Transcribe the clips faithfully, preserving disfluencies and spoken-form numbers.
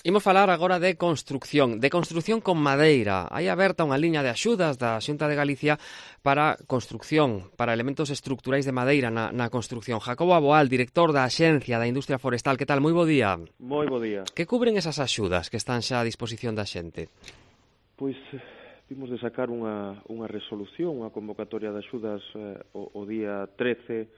Imos falar agora de construcción, de construcción con madeira. Hai aberta unha liña de axudas da Xunta de Galicia para construcción, para elementos estructurais de madeira na, na construcción. Jacobo Aboal, director da Axencia da Industria Forestal. Que tal? Moi bo día. Moi bo día. Que cubren esas axudas que están xa a disposición da xente? Pois vimos de sacar unha, unha resolución, unha convocatoria de axudas eh, o, o día trece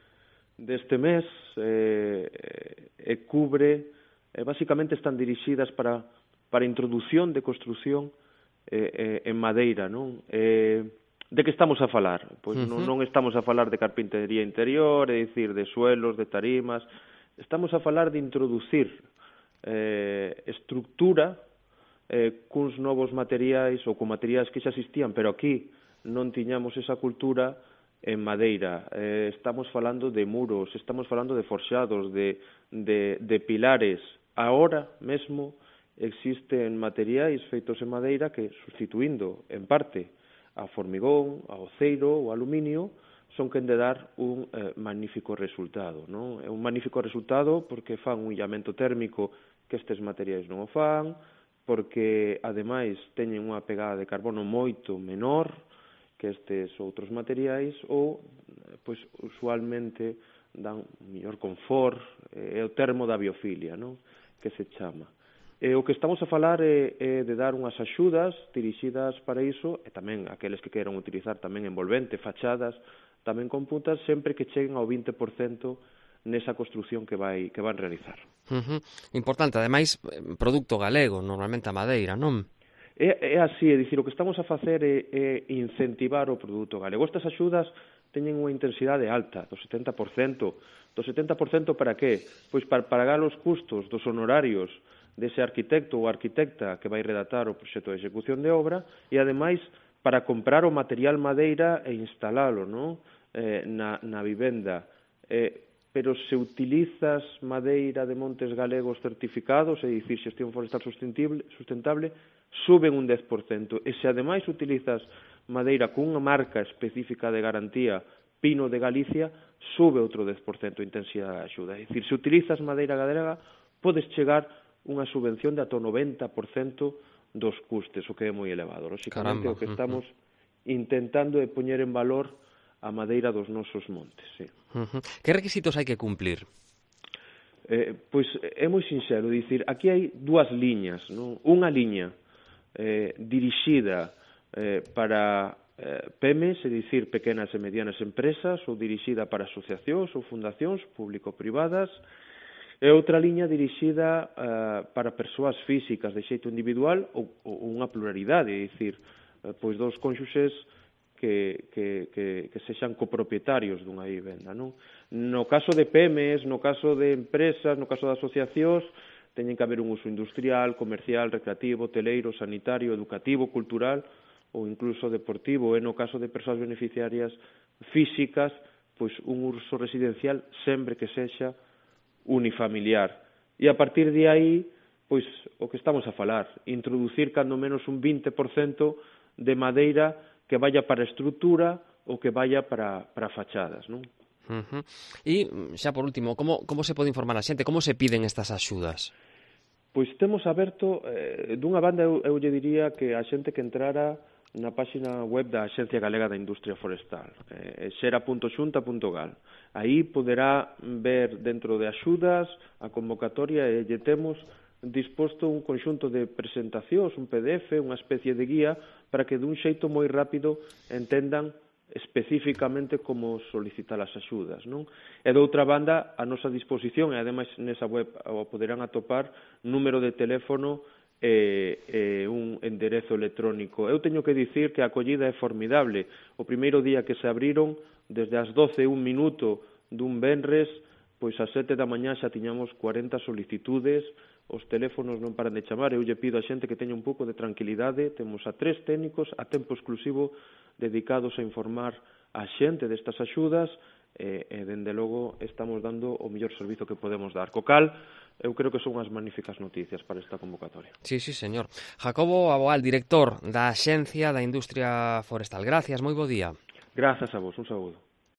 deste mes eh, e cubre... Eh, basicamente están dirixidas para, para introdución de construción eh, eh, en madeira, non? Eh, de que estamos a falar? Pois uh-huh. non, non estamos a falar de carpintería interior, é dicir, de suelos, de tarimas, estamos a falar de introducir eh, estructura eh, cuns novos materiais ou con materiais que xa existían, pero aquí non tiñamos esa cultura en madeira. Eh, estamos falando de muros, estamos falando de forxados, de, de, de pilares. Ahora mesmo existen materiais feitos en madeira que, sustituindo en parte a formigón, a aceiro ou aluminio, son quen de dar un eh, magnífico resultado, non? É un magnífico resultado porque fan un illamento térmico que estes materiais non o fan, porque ademais teñen unha pegada de carbono moito menor que estes outros materiais ou, pois, usualmente dan mellor confort, é o termo da biofilia, non? Que se chama. E o que estamos a falar é, é de dar unhas axudas dirixidas para iso, e tamén aqueles que queiran utilizar tamén envolvente, fachadas, tamén con puntas, sempre que cheguen ao vinte por cento nesa construción que vai que van realizar. Uh-huh. Importante, ademais, produto galego, normalmente a madeira, non? É, é así, é dicir, o que estamos a facer é, é incentivar o produto galego. Estas axudas teñen unha intensidade alta, do setenta por cento. Do setenta por cento para qué? Pois para pagar os custos dos honorarios dese arquitecto ou arquitecta que vai redactar o proxecto de execución de obra e, ademais, para comprar o material madeira e instalalo, non? Eh, na, na vivenda. Eh, pero se utilizas madeira de montes galegos certificados, é dicir, xestión forestal sustentable, sustentable, suben un dez por cento. E se ademais utilizas madeira cunha marca específica de garantía, Pino de Galicia, sube outro dez por cento a intensidade da axuda. É dicir, se utilizas madeira galega, podes chegar unha subvención de ata o noventa por cento dos custes, o que é moi elevado. Lóxicamente, o que estamos intentando é poñer en valor a madeira dos nosos montes. Sí. Uh-huh. Que requisitos hai que cumplir? Eh, pois é moi sinxelo, dicir, aquí hai dúas liñas, non? Unha liña eh, dirixida eh, para eh, P M Es, é dicir, pequenas e medianas empresas, ou dirixida para asociacións ou fundacións público-privadas, e outra liña dirixida eh, para persoas físicas de xeito individual ou, ou unha pluralidade, é dicir, eh, pois dous cónxuxes que, que, que, que sexan copropietarios dunha vivenda, non? No caso de P M Es, no caso de empresas, no caso de asociacións, teñen que haber un uso industrial, comercial, recreativo, hoteleiro, sanitario, educativo, cultural ou incluso deportivo, e no caso de persoas beneficiarias físicas, pois un uso residencial sempre que sexa unifamiliar. E a partir de aí, pois o que estamos a falar, introducir cando menos un vinte por cento de madeira que vaya para estrutura ou que vaya para, para fachadas, non? Uh-huh. E, xa por último, como, como se pode informar a xente? Como se piden estas axudas? Pois temos aberto, eh, dunha banda eu, eu lle diría que a xente que entrara na páxina web da Axencia Galega da Industria Forestal, eh, xera punto xunta punto gal. Aí poderá ver dentro de axudas a convocatoria e lle temos disposto un conxunto de presentacións, un P D F, unha especie de guía, para que dun xeito moi rápido entendan especificamente como solicitar as axudas, non? E de outra banda, a nosa disposición, e ademais nesa web o poderán atopar número de teléfono e, e un enderezo electrónico. Eu teño que dicir que a acollida é formidable. O primeiro día que se abriron, desde as doce e un minuto dun venres, pois ás sete da mañá xa tiñamos cuarenta solicitudes, os teléfonos non paran de chamar, eu lle pido a xente que teña un pouco de tranquilidade, temos a tres técnicos a tempo exclusivo dedicados a informar a xente destas axudas, e, e dende logo estamos dando o mellor servizo que podemos dar. Co cal, eu creo que son unhas magníficas noticias para esta convocatoria. Sí, sí, señor. Jacobo Aboal, director da Axencia da Industria Forestal. Gracias, moi bo día. Grazas a vos, un saúdo.